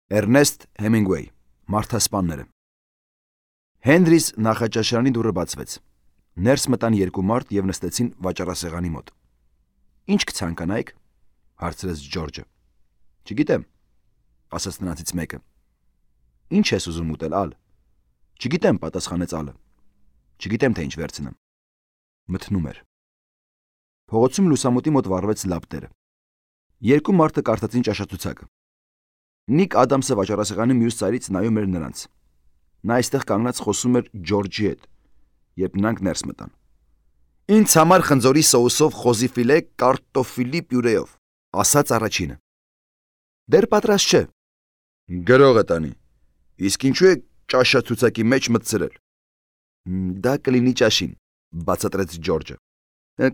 Էրնեստ Հեմինգուեյ, Մարդասպանները։ Հենրիս նախաճաշարանի դուռը բացվեց։ Ներս մտան երկու մարդ եւ նստեցին վաճառասեղանի մոտ։ Ինչ կցանկանայիք, հարցրեց Ջորջը։ Չգիտեմ, ասաց նրանցից մեկը։ Ինչ ես ուզում ուտել, ալ։ Չգիտեմ, պատասխանեց ալը։ Չգիտեմ, թե ինչ վերցնեմ։ Մթնում էր։ Փողոցում լուսամուտի մոտ վառվեց լապտերը։ Երկու մարդը կարդացին ճաշացուցակը։ Նիկ Ադամսը վաճառասեղանի մյուս ծայրից նայում էր նրանց։ Նա այստեղ կանգնած խոսում էր Ջորջի հետ, երբ նրանք ներս մտան։ Ինձ համար խնձորի սոուսով խոզի ֆիլե կարտոֆիլի պյուրեով, ասաց առաջինը։ Դեռ պատրաստ չէ։ Գրողը տանի։ Իսկ ինչու է ճաշացուցակի մեջ մտցրել։ Դա կլինի ճաշին, բացատրեց Ջորջը։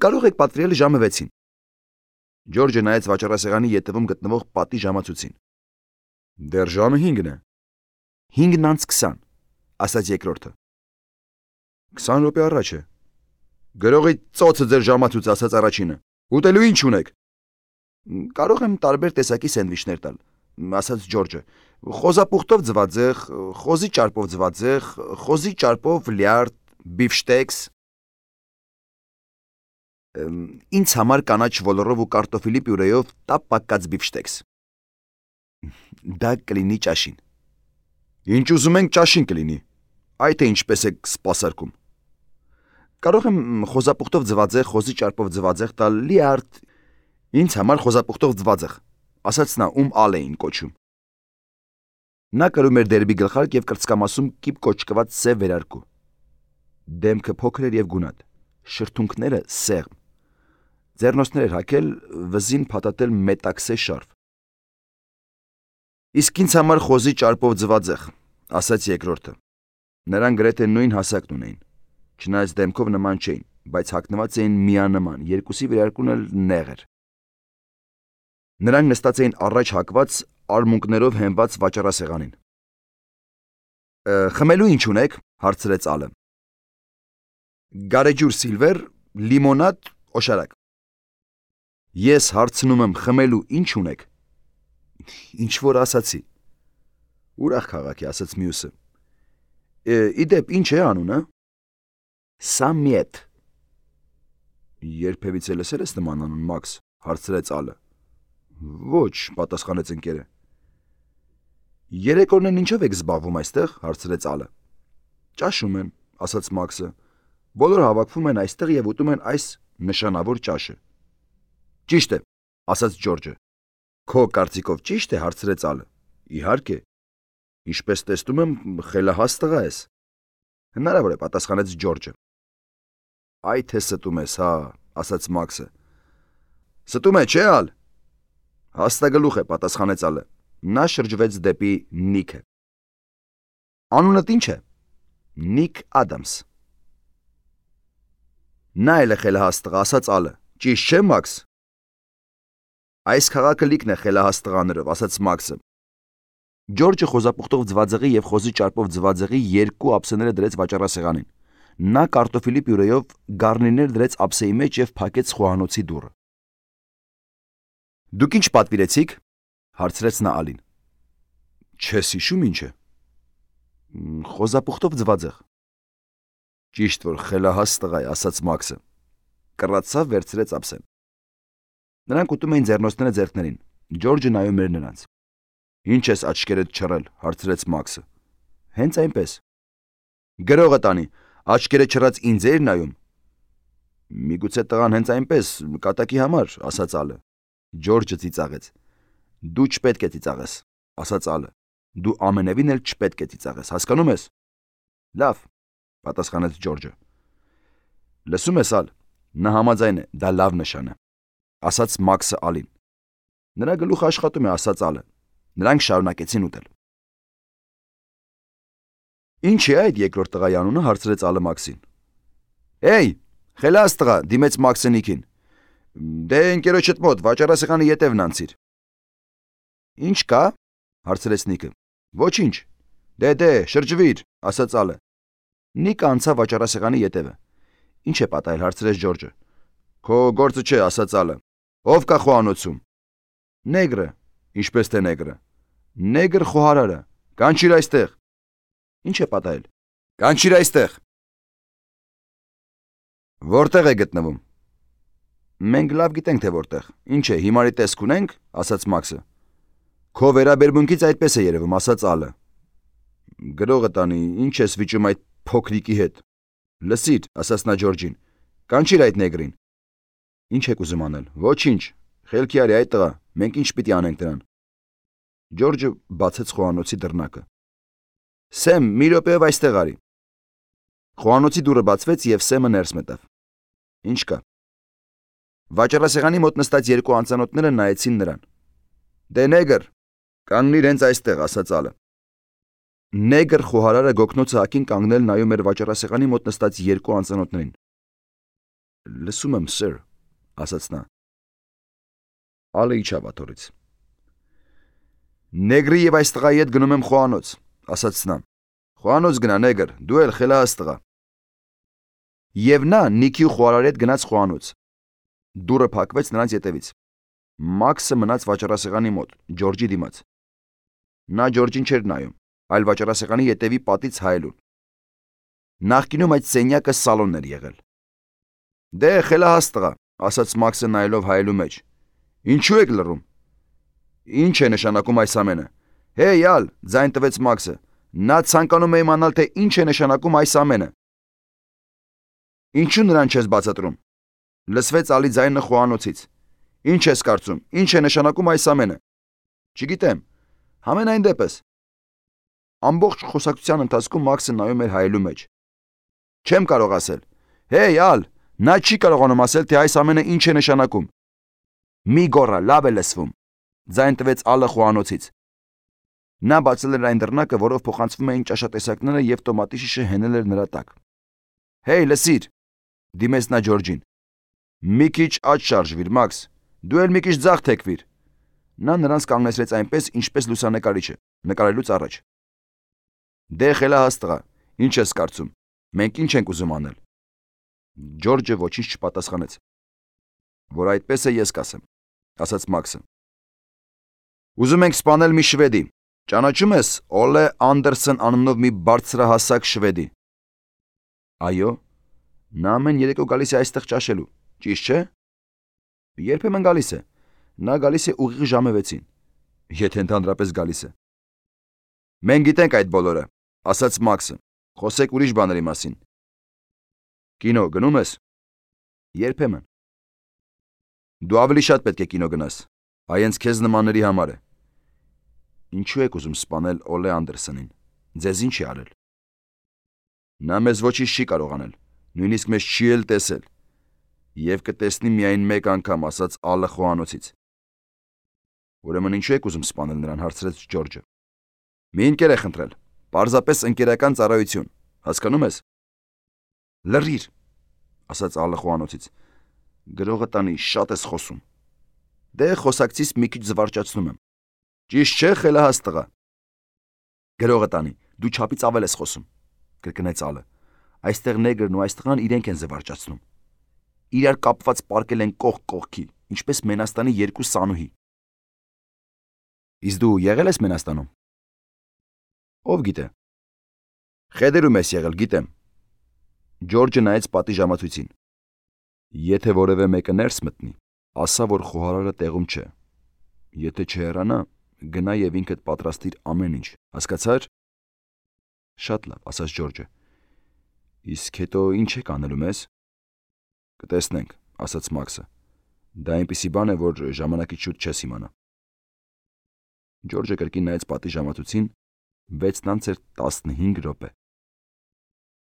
Կարող եք պատվիրել ժամը 6-ին։ Ջորջը նայեց վաճառասեղանի ետևում գտնվող պատի ժամացույցին։ Դեռ ժամը 5-ն է։ 5:20, ասաց երկրորդը։ 20 րոպե առաջ է։ Գրողի ծոցը ձեր ժամացույց, ասաց առաջինը։ Ուտելու ինչ ունեք։ Կարող եմ տարբեր տեսակի սենդվիչներ տալ, ասաց Ջորջը։ Խոզապուխտով ձվածեղ, խոզի ճարպով ձվածեղ, խոզի ճարպով լյարդ, բիֆշտեքս։ Ինձ համար կանաչ ոլորով ու կարտոֆիլի պյուրեով տապ պակած բիֆշտեքս։ Դա կլինի ճաշին։ Ինչ ուզում ենք ճաշին կլինի։ Այ թե ինչպես եք սպասարկում։ Կարող եմ խոզապուխտով ձվածեղ, խոզի ճարպով ձվածեղ տալ լյարդ։ Ինձ համար խոզապուխտով ձվածեղ, ասաց նա, ում ալ էին կոչում։ Նա կրում էր դերբի գլխարկ եւ կրծքամասում կիպ կոճկված սև վերարկու։ Դեմքը փոքր էր եւ գունատ, շրթունքները սեղմ։ Ձեռնոցներ էր հագել, վզին փաթաթել մետաքսե շարֆ։ Իսկ ինձ համար խոզի ճարպով ձվածեղ, ասաց երկրորդը։ Նրանք գրեթե նույն հասակն ունեին, չնայած դեմքով նման չէին, բայց հագնված էին միանման, երկուսի վերարկուն էլ նեղ էր։ Նրանք նստած էին առաջ հակված արմունկներով հենված վաճառասեղանին։ Խմելու ինչ ունեք, հարցրեց ալը։ Գարեջուր սիլվեր, լիմոնադ, օշարակ։ Ես հարցնում եմ խմելու ինչ ունեք։ Ինչ որ ասացի։ Ուրախ քաղաքի, ասաց մյուսը։ Իդեպ ինչ է անունը։ Սամիետ։ Երբևիցե լսել ես նման անուն, Մաքս, հարցրեց ալը։ Ոչ, պատասխանեց ընկերը։ Երեկորներն ինչով եք զբաղվում այստեղ, հարցրեց ալը։ Ճաշում են, ասաց Մաքսը։ Բոլորը հավաքվում են այստեղ եւ ուտում են այս նշանավոր ճաշը։ Ճիշտ է, ասաց Ջորջը։ Քո կարծիքով ճիշտ է, հարցրեց ալը։ Իհարկե։ Ինչպես տեսնում եմ, խելահաս տղա ես։ Հնարավոր է, պատասխանեց Ջորջը։ Այ թե ստում ես, հա, ասաց Մաքսը։ Ստում է, չէ՞ ալ։ Հաստագլուխ է, պատասխանեց ալը։ Նա շրջվեց դեպի Նիքը։ Անունդ ինչ է։ Նիկ Ադամս։ Նա էլ է խելահաս տղա, ասաց ալը։ Ճիշտ չէ, Մաքս։ Այս քաղաքը լիքն է խելահաս տղաներով, ասաց Մաքսը։ Ջորջը խոզապուխտով ձվածեղի եւ խոզի ճարպով ձվածեղի երկու ափսեները դրեց վաճառասեղանին։ Նա կարտոֆիլի պյուրեով գարնիրներ դրեց ափսեի մեջ եւ փակեց խոհանոցի դուռը։ Դուք ինչ պատվիրեցիք, հարցրեց նա ալին։ Չես հիշում ինչ է։ Խոզապուխտով ձվածեղ։ Ճիշտ որ խելահաս տղա է, ասաց Մաքսը։ Կռացավ, վերցրեց ափսեն։ Նրանք ուտում էին ձեռնոցները ձեռքներին։ Ջորջը նայում էր նրանց։ Ինչ ես աչքերդ չռել, հարցրեց Մաքսը։ Հենց այնպես։ Գրողը տանի, աչքերը չռած ինձ էր նայում։ Միգուցե տղան հենց այնպես, կատակի համար, ասաց ալը։ Ջորջը ծիծաղեց։ Դու չպետք է ծիծաղես, ասաց ալը։ Դու ամենևին էլ չպետք է ծիծաղես, հասկանում ես։ Լավ, պատասխանեց Ջորջը։ Լսում ես ալ, նա համաձայն է, դա լավ նշան է, ասաց Մաքսը ալին։ Նրա գլուխը աշխատում է, ասաց ալը։ Նրանք շարունակեցին ուտել։ Ինչ է այդ երկրորդ տղայի անունը, հարցրեց ալը Մաքսին։ Էй, խելաս տղա, դիմեց Մաքսը Նիկին։ Դե ընկերոջդ մոտ վաճառասեղանի ետևն անցիր։ Ինչ կա, հարցրեց Նիկը։ Ոչինչ։ Դե, շրջվիր, ասաց ալը։ Նիկը անցավ վաճառասեղանի ետևը։ Ինչ է պատահել, հարցրեց Ջորջը։ Քո գործը չէ, ասաց ալը։ Ով կա խոհանոցում։ Նեգրը, ինչպես թե նեգրը։ Նեգր խոհարարը, կանչիր այստեղ։ Ինչ է պատահել։ Կանչիր այստեղ։ Որտեղ է գտնվում։ Մենք լավ գիտենք, թե որտեղ։ Ինչ է, հիմարի տեսք ունենք, ասաց Մաքսը։ Քո վերաբերմունքից այդպես է երևում, ասաց Ալը։ Գրողը տանի, ինչ ես վիճում այդ փոքրիկի հետ։ Լսիր, ասաց նա Ջորջին, կանչիր այդ նեգրին։ Ինչ եք ուզում անել։ Ոչինչ, խելքի արի այդ տղա, մենք ինչ պիտի անենք դրան։ Ջորջը բացեց խոհանոցի դռնակը։ Սեմ, մի րոպեով այստեղ արի։ Խոհանոցի դուռը բացվեց եւ Սեմը ներս մտավ։ Ինչ կա։ Վաճառասեղանի մոտ նստած երկու անծանոթները նայեցին նրան։ Դե նեգր, կանգնիր հենց այստեղ, ասաց Ալը։ Նեգր խոհարարը գոգնոցը հակին կանգնել նայում էր վաճառասեղանի մոտ նստած երկու անծանոթներին։ Լսում եմ, սեր, ասաց նա։ Ալը իջավ աթոռից։ Նեգրի եւ այս տղայի հետ գնում եմ խոհանոց, ասաց նա։ Խոհանոց գնա, նեգր, դու էլ խելահաս տղա։ Եվ նա Նիքի ու խոհարարի հետ գնաց խոհանոց։ Դուռը փակվեց նրանց ետևից։ Մաքսը մնաց վաճառասեղանի մոտ, Ջորջի դիմաց։ Նա Ջորջին չէր նայում, այլ վաճառասեղանի ետևի պատից հայելուն։ Նախկինում այդ սենյակը սալոնն էր եղել։ Դե խելահաս տղա, ասաց Մաքսը նայելով հայելու մեջ։ Ինչու եք լռում։ Ինչ է նշանակում այս ամենը։ Հեյ, Ալ, ձայն տվեց Մաքսը։ Նա ցանկանում է իմանալ, թե ինչ է նշանակում այս ամենը։ Ինչու նրան չես բացատրում։ Լսվեց Ալի ձայնը խոհանոցից։ Ինչ ես կարծում, ինչ է նշանակում այս ամենը։ Չգիտեմ, համենայն դեպս։ Ամբողջ խոսակցության ընթացքում Մաքսը նայում էր հայելու մեջ։ Չեմ կարող ասել։ Հեյ, Ալ, նա չի կարողանում ասել, թե այս ամենը ինչ է նշանակում։ Մի գոռա, լավ է լսվում։ Ձայն տվեց Ալը խոհանոցից։ Նա բացել էր այն դռնակը, որով փոխանցվում էին ճաշատեսակները եւ տոմատի շիշը հենել էր նրա տակ։ Հեյ, լսիր, դիմեց նա Ջորջին։ Մի քիչ աջ շարժվիր, Մաքս, դու էլ մի քիչ ձախ թեքվիր։ Նա նրանց կանգնեցրեց այնպես, ինչպես լուսանկարիչը, նկարելուց առաջ։ Դե խելահաս տղա, ինչ ես կարծում։ Մենք ինչ ենք ուզում անել։ Ջորջը ոչինչ չպատասխանեց։ Որ այդպես է, ես կասեմ, ասաց Մաքսը։ Ուզում ենք սպանել մի շվեդի։ Ճանաչում ես Օլե Անդերսեն անունով մի բարձրահասակ շվեդի։ Այո, նա ամեն երեկո գալիս է այստեղ ճաշելու, ճիշտ չէ։ Երբեմն գալիս է։ Նա գալիս է ուղիղ ժամը 6-ին, եթե ընդհանրապես գալիս է։ Մենք գիտենք այդ բոլորը, ասաց Մաքսը։ Խոսեք ուրիշ բաների մասին։ Կինո գնում ես։ Երբեմն։ Դու ավելի շատ պետք է կինո գնաս։ Այ հենց քեզ նմանների համար է։ Ինչու եք ուզում սպանել Օլե Անդերսենին։ Ձեզ ինչ է արել։ Նա մեզ ոչինչ չի կարող անել, նույնիսկ մեզ չի էլ տեսել։ Եվ կտեսնի միայն մեկ անգամ, ասաց Ալը խոհանոցից։ Ուրեմն ինչու եք ուզում սպանել նրան, հարցրեց Ջորջը։ Մի ընկեր է խնդրել, պարզապես ընկերական ծառայություն, հասկանում ես։ Լռիր, ասաց Ալը խոհանոցից։ Գրողը տանի, շատ ես խոսում։ Դե խոսակցից մի քիչ զվարճացնում եմ։ Ճիշտ չէ, խելահաս տղա։ Գրողը տանի, դու չափից ավել ես խոսում, կրկնեց Ալը։ Այստեղ նեգրն ու այս տղան իրենք են զվարճացնում։ Իրար կապված պարկել են կողք կողքի, ինչպես Մենաստանի երկու սանուհի։ Իսկ դու եղել ես Մենաստանում։ Ով գիտե։ Խեդերում ես եղել, գիտեմ։ Ջորջը նայեց պատի ժամացույցին։ Եթե որևէ մեկը ներս մտնի, ասա, որ խոհարարը տեղում չէ։ Եթե չհեռանա, գնա եւ ինքդ պատրաստիր ամեն ինչ, հասկացա՞ր։ Շատ լավ, ասաց Ջորջը։ Իսկ հետո ինչ եք անելու մեզ։ Կտեսնենք, ասաց Մաքսը։ Դա այնպիսի բան է, որ ժամանակից շուտ չես իմանա։ Ջորջը կրկին նայեց պատի ժամացույցին, 6:15 րոպե։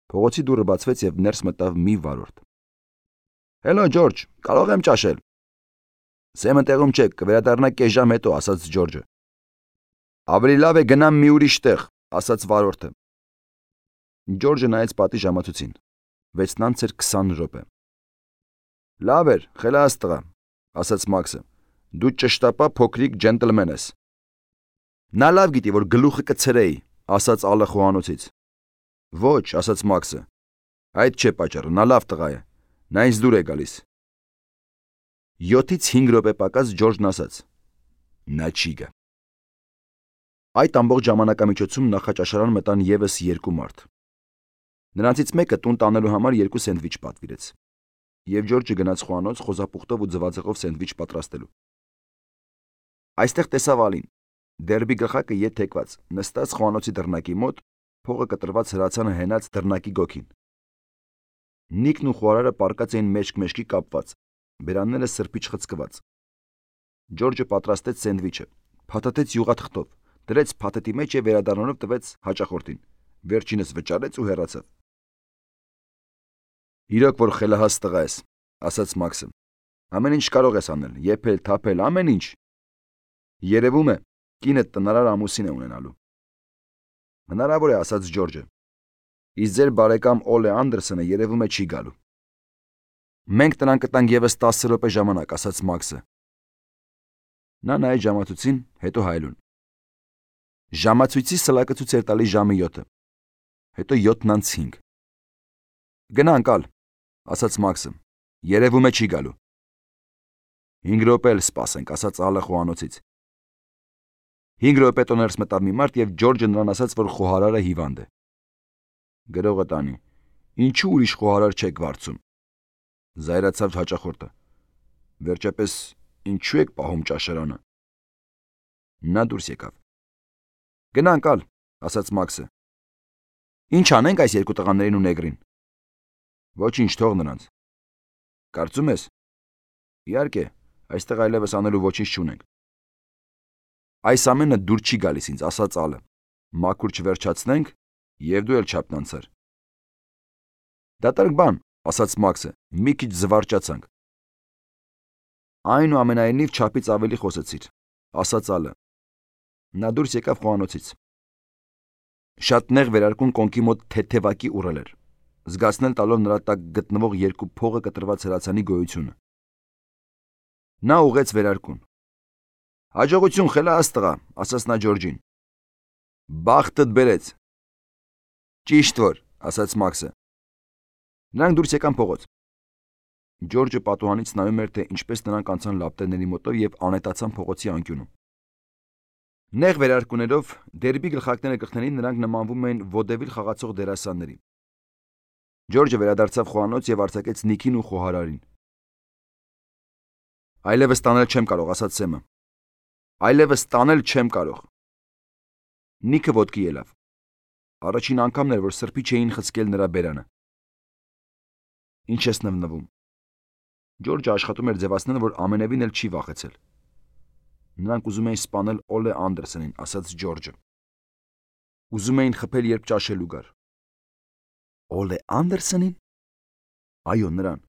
Փողոցի դուռը բացվեց եւ ներս մտավ մի վարորդ։ Հելո Ջորջ, կարող եմ ճաշել։ Սեմը տեղում չէ, կվերադառնա կես ժամ հետո, ասաց Ջորջը։ Ավելի լավ է գնամ մի ուրիշ տեղ, ասաց վարորդը։ Ջորջը նայեց պատի ժամացույցին։ 6:20 րոպե։ Լավ էր, խելահաս տղա, ասաց Մաքսը։ Դու ճշտապա փոքրիկ ջենտլմեն ես։ Նա լավ գիտի, որ գլուխը կցրեի, ասաց Ալը խոհանոցից։ Ոչ, ասաց Մաքսը։ Այդ չէ պատճառը, նա լավ տղա է։ Նա ինձ դուր է գալիս։ 7-5 րոպե պակաս Ջորջն ասաց. Նա չի գա։ Այդ ամբողջ ժամանակամիջոցում նախաճաշարան մտան եւս 2 մարդ։ Նրանցից մեկը տուն տանելու համար 2 սենդվիչ պատվիրեց, եւ Ջորջը գնաց խոհանոց խոզապուխտով ու ձվածեղով սենդվիչ պատրաստելու։ Այստեղ տեսավ Ալին, դերբի գլխակը ետ թեքված, նստած խոհանոցի դռնակի մոտ, փողը կտրված հրացանը հենած դռնակի գոգին։ Նիկն ու խոհարարը պառկած էին մեջք-մեջքի կապված, բերանները սրբիչ խցկված։ Ջորջը պատրաստեց սենդվիչը, փաթաթեց յուղաթղթով, դրեց փաթեթի մեջ եւ վերադառնալով տվեց հաճախորդին։ Վերջինս վճարեց ու հեռացավ։ Իրոք որ խելահաս տղա ես, ասաց Մաքսը։ Ամեն ինչ կարող ես անել, եփել, թափել, ամեն ինչ։ Երևում է, կինդ տնարար ամուսին է ունենալու։ Հնարավոր է, ասաց Ջորջը։ Իսկ ձեր բարեկամ Օլե Անդերսոնը երևում է չի գալու։ Մենք նրան կտանք եւս 10 րոպե ժամանակ, ասաց Մաքսը։ Նա նայեց ժամացույցին, հետո հայելուն։ Ժամացույցի սլակը ցույց էր տալիս ժամը 7-ը, հետո 7:05։ Գնա անկալ, ասաց Մաքսը։ Երևում է չի գալու։ 5 րոպե էլ սպասենք, ասաց Ալը խոհանոցից։ 5 րոպե հետո ներս մտավ մի մարդ եւ Ջորջը նրան ասաց, որ խոհարարը հիվանդ է։ Գրողը տանի։ Ինչու ուրիշ խոհարար չեք վարձում։ Զայրացավ հաճախորդը։ Վերջապես ինչու եք պահում ճաշարանը։ Նա դուրս եկավ։ Գնա անկալ, ասաց Մաքսը։ Ինչ անենք այս 2 տղաներին ու նեգրին։ Ոչինչ, թող նրանց։ Կարծում ես։ Իհարկե, այստեղ այլևս անելու ոչինչ չունենք։ Այս ամենը դուր չի գալիս ինձ, ասաց Ալը։ Մաքուր չվերջացնենք, եւ դու էլ չափնանցար։ Դատարկ բան, ասաց Մաքսը, մի քիչ զվարճացանք։ Այնուամենայնիվ չափից ավելի խոսեցիր, ասաց Ալը։ Նա դուրս եկավ խոհանոցից։ Շատ նեղ վերարկուն կոնքի մոտ թեթևակի ուռել էր, զգացնել տալով նրա տակ գտնվող 2 փողը կտրված հրացանի գոյությունը։ Նա ուղեց վերարկուն։ Հաջողություն, խելահաս տղա, ասաց նա Ջորջին։ Բախտդ բերեց։ Ճիշտ որ, ասաց Մաքսը։ Նրանք դուրս եկան փողոց։ Ջորջը պատուհանից նայում էր, թե ինչպես նրանք անցան լապտերների մոտով եւ անետացան փողոցի անկյունում։ Նեղ վերարկուներով դերբի գլխակները գլխներին նրանք նմանվում էին ոդևիլ խաղացող դերասանների։ Ջորջը վերադարձավ խոհանոց եւ արձակեց Նիկին ու խոհարարին։ Այլևս տանել չեմ կարող, ասաց Սեմը։ Այլևս տանել չեմ կարող։ Նիկը ոտքի ելավ։ Առաջին անգամն էր, որ սրբիչ էին խցկել նրա բերանը։ Ինչ ես նվնվում։ Ջորջը աշխատում էր ձևացնել, որ ամենևին էլ չի վախեցել։ Նրանք ուզում էին սպանել Օլե Անդերսոնին, ասաց Ջորջը։ Ուզում էին խփել, երբ ճաշելու գար։ Օլե Անդերսոնին։ Այո, նրան։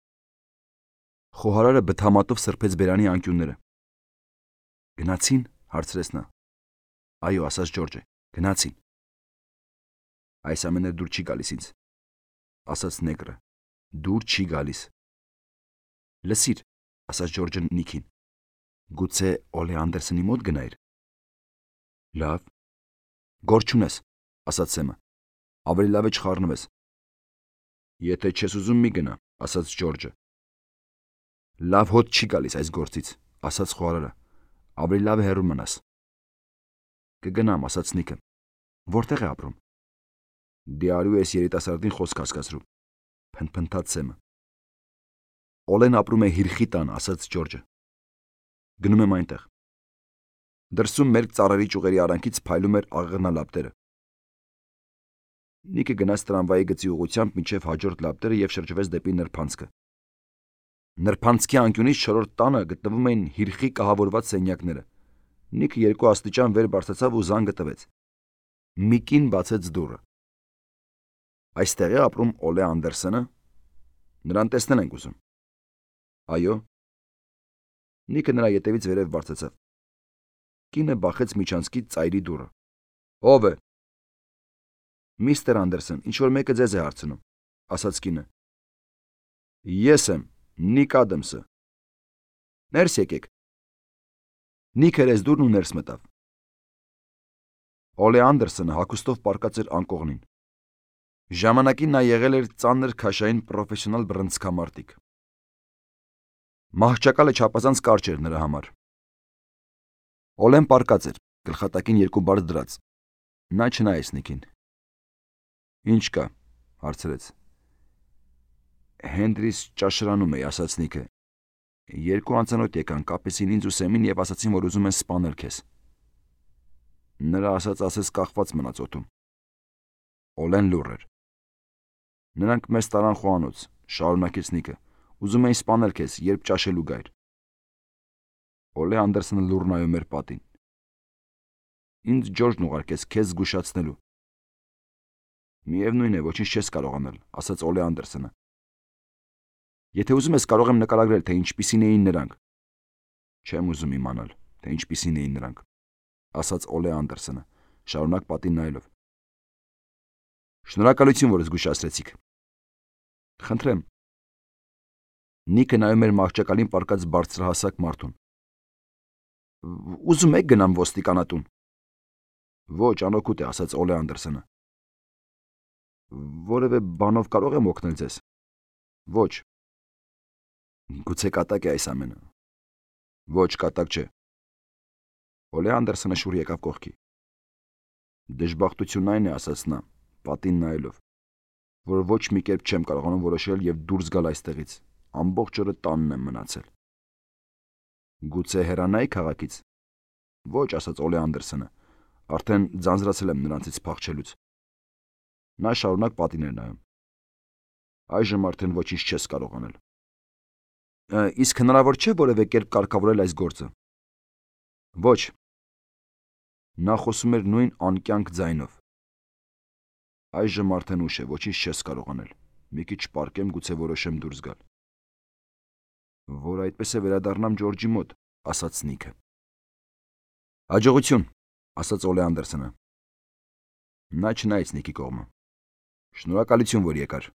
Խոհարարը բթամատով սրբեց բերանի անկյունները։ Գնացին, հարցրեց նա։ Այո, ասաց Ջորջը, գնացին։ Այս ամենը դուր չի գալիս ինձ, ասաց նեգրը։ Դուր չի գալիս։ Լսիր, ասաց Ջորջը Նիկին։ Գուցե Օլե Անդերսոնի մոտ գնայր։ Լավ։ Գործ չունես, ասաց Սեմը։ Ավելի լավ է չխառնվես։ Եթե չես ուզում մի գնա, ասաց Ջորջը։ Լավ հոտ չի գալիս այս գործից, ասաց խոհարարը։ Ավելի լավ է հեռու մնաս։ Կգնամ, ասաց Նիկը։ Որտեղ է ապրում։ Դիարու ես երիտասարդին խոսք հասկացրու, փնթփնթաց Սեմը։ Օլեն ապրում է Հիրխի տան, ասաց Ջորջը։ Գնում եմ այնտեղ։ Դրսում մերկ ծառերի ճյուղերի արանքից փայլում էր աղեղնալապտերը։ Նիկը գնաց տրամվայի գծի ուղղությամբ մինչև հաջորդ լապտերը եւ շրջվեց դեպի նրբանցքը։ Նրբանցքի անկյունից 4-րդ տանը գտնվում էին Հիրխի կահավորված սենյակները։ Նիկը 2 աստիճան վեր բարձրացավ ու զանգը տվեց։ Միկին բացեց դուռը։ Այստեղ է ապրում Օլե Անդերսոնը։ Նրան տեսնել ենք ուզում։ Այո։ Նիկը նրա ետևից վերև բարձրացավ։ Կինը բախեց միջանցքի ծայրի դուռը։ Ո՞վ է։ Միստր Անդերսոն, ինչ որ մեկը ձեզ է հարցնում, ասաց կինը։ Ես եմ, Նիկ Ադամսը։ Ներս եկեք։ Նիկը հրեց դուռն ու ներս մտավ։ Օլե Անդերսոնը հագուստով պառկած էր անկողնին։ Ժամանակին նա եղել էր ծանր քաշային պրոֆեսիոնալ բռնցքամարտիկ։ Մահճակալը չափազանց կարճ էր նրա համար։ Օլեն պառկած էր, գլխատակին երկու բարձ դրած։ Նա չնայեց Նիկին։ Ինչ կա, հարցրեց։ Հենրիս ճաշարանում էի, ասաց Նիկը։ Երկու անծանոթ եկան, կապեցին ինձ ու Սեմին եւ ասացին, որ ուզում են սպանել քեզ։ Նրա ասած կախված մնաց օդում։ Օլեն լուռ էր։ Նրանք մեզ տարան խոհանոց, շարունակեց Նիկը։ Ուզում էին սպանել քեզ, երբ ճաշելու գայր։ Օլե Անդերսոնը լուռ նայում էր պատին։ Ինձ Ջորջն ուղարկեց քեզ զգուշացնելու։ Միևնույն է, ոչինչ չես կարող անել, ասաց Օլե Անդերսոնը։ Եթե ուզում ես, կարող եմ նկարագրել, թե ինչպիսին էին նրանք։ Չեմ ուզում իմանալ, թե ինչպիսին էին նրանք, ասաց Օլե Անդերսոնը, շարունակ պատին նայելով։ Շնորհակալություն, որ զգուշացրեցիք։ Խնդրեմ։ Նիկը նայում էր մահճակալին պառկած բարձրահասակ մարդուն։ Ուզում եք գնամ ոստիկանատուն։ Ոչ, անօգուտ է, ասաց Օլե Անդերսոնը։ Որևէ բանով կարող եմ օգնել ձեզ։ Ոչ։ Գուցե կատակ է այս ամենը։ Ոչ, կատակ չէ։ Օլե Անդերսոնը շուռ եկավ կողքի։ Դժբախտությունն այն է, ասաց նա, պատին նայելով, որ ոչ մի կերպ չեմ կարողանում որոշել եւ դուրս գալ այստեղից։ Ամբողջ օրը տանն եմ մնացել։ Գուցե հեռանայի քաղաքից։ Ոչ, ասաց Օլե Անդերսոնը։ Արդեն ձանձրացել եմ նրանցից փախչելուց։ Նա շարունակ պատին էր նայում։ Այժմ արդեն ոչինչ չես կարող անել։ Իսկ հնարավոր չէ որևէ կերպ կարգավորել այս գործը։ Ոչ։ Նա խոսում էր նույն անկյանք ձայնով։ Այժմ արդեն ուշ է, ոչինչ չես կարող անել։ Մի քիչ պարկեմ, գուցե որոշեմ դուրս գալ։ Որ այդպես է վերադառնամ Ջորջի մոտ, ասաց Նիկը։ Հաջողություն, ասաց Օլե Անդերսոնը։ Նա չնայեց Նիկի կողմը։ Շնորհակալություն, որ եկար։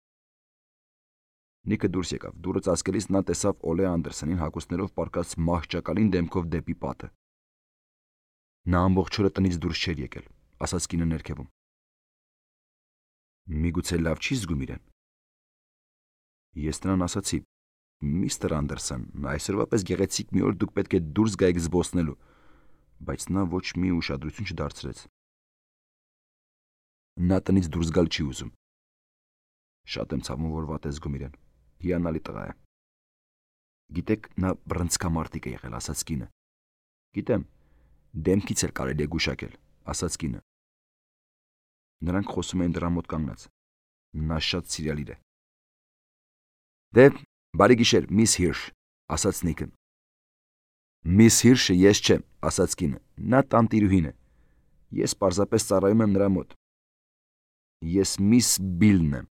Նիկը դուրս եկավ։ Դուռը ծածկելիս նա տեսավ Օլե Անդերսոնին հագուստներով պառկած մահճակալին դեմքով դեպի պատը։ Նա ամբողջ օրը տնից դուրս չէր եկել, ասաց կինը ներքևում։ Միգուցե լավ չի զգում իրեն։ Ես նրան ասացի. Միստր Անդերսոն, այսօրվա պես գեղեցիկ մի օր դուք պետք է դուրս գայիք զբոսնելու, բայց նա ոչ մի ուշադրություն չդարձրեց։ Նա տնից դուրս գալ չի ուզում։ Շատ եմ ցավում, որ վատ է զգում իրեն։ Հիանալի տղա է։ Գիտեք, նա բռնցքամարտիկ է եղել, ասաց կինը։ Գիտեմ, դեմքից էլ կարելի է գուշակել, ասաց կինը։ Նրանք խոսում էին դրա մոտ կանգնած։ Նա շատ սիրալիր է։ Դե, բարի գիշեր, միս Հիրշ, ասաց Նիկը։ Միս Հիրշը ես չեմ, ասաց կինը։ Նա տանտիրուհին է։ Ես պարզապես ծառայում եմ նրա մոտ։ Ես միս Բիլն եմ։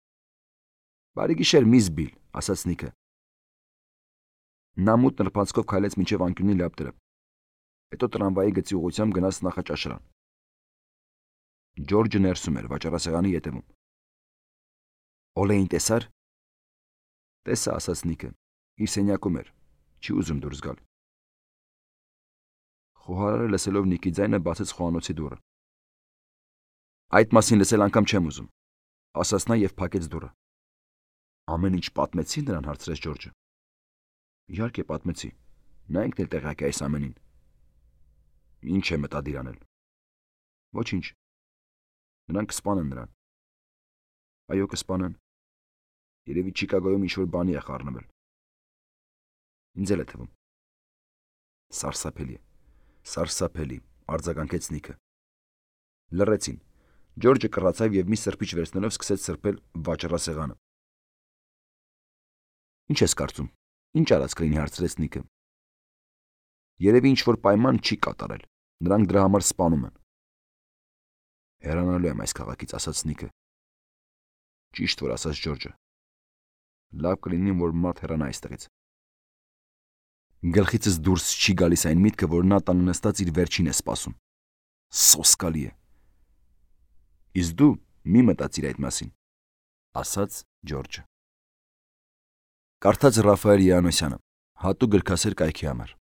Բարի գիշեր, միս Բիլ, ասաց Նիկը։ Նա մութ նրբանցքով քայլեց մինչև անկյունի լապտերը։ Հետո տրամվայի գծի ուղղությամբ գնաց նախաճաշարան։ Ջորջը ներսում էր վաճառասեղանի ետևում։ Օլեին տեսար։ Տեսա, ասաց Նիկը։ Իր սենյակում էր։ Չի ուզում դուրս գալ։ Խոհարարը լսելով Նիկի ձայնը բացեց խոհանոցի դուռը։ Այդ մասին լսել անգամ չեմ ուզում, ասաց նա եւ փակեց դուռը։ Ամեն ինչ պատմեցի նրան, հարցրեց Ջորջը։ Իհարկե պատմեցի։ Նա ինքն էլ տեղյակ է այս ամենին։ Ինչ է մտադիր անել։ Ոչինչ։ Նրանք կսպանեն նրան։ Այո, կսպանեն։ Երևի Չիկագոյում ինչ-որ բանի է խառնվել։ Ինձ էլ է թվում։ Սարսափելի է։ Սարսափելի, արձագանքեց Նիկը։ Լռեցին։ Ջորջը կռացավ եւ մի սրբիչ վերցնելով սկսեց սրբել վաճառասեղանը։ Ինչ ես կարծում։ Ինչ արած կլինի, հարցրեց Նիկը։ Երևի ինչ-որ պայման չի կատարել։ Նրանք դրա համար սպանում են։ Հեռանալու եմ այս քաղաքից, ասաց Նիկը։ Ճիշտ որ ասաց Ջորջը։ Լավ կլինի, որ մարդ հեռանա այստեղից։ Գլխիցս դուրս չի գալիս այն միտքը, որ նա տանը նստած իր վերջին է սպասում։ Սոսկալի է։ Իսկ դու մի մտածիր այդ մասին, ասաց Ջորջը։ Կարդաց Ռաֆայել Յանոսյանը, հատուկ գրքասեր կայքի համար։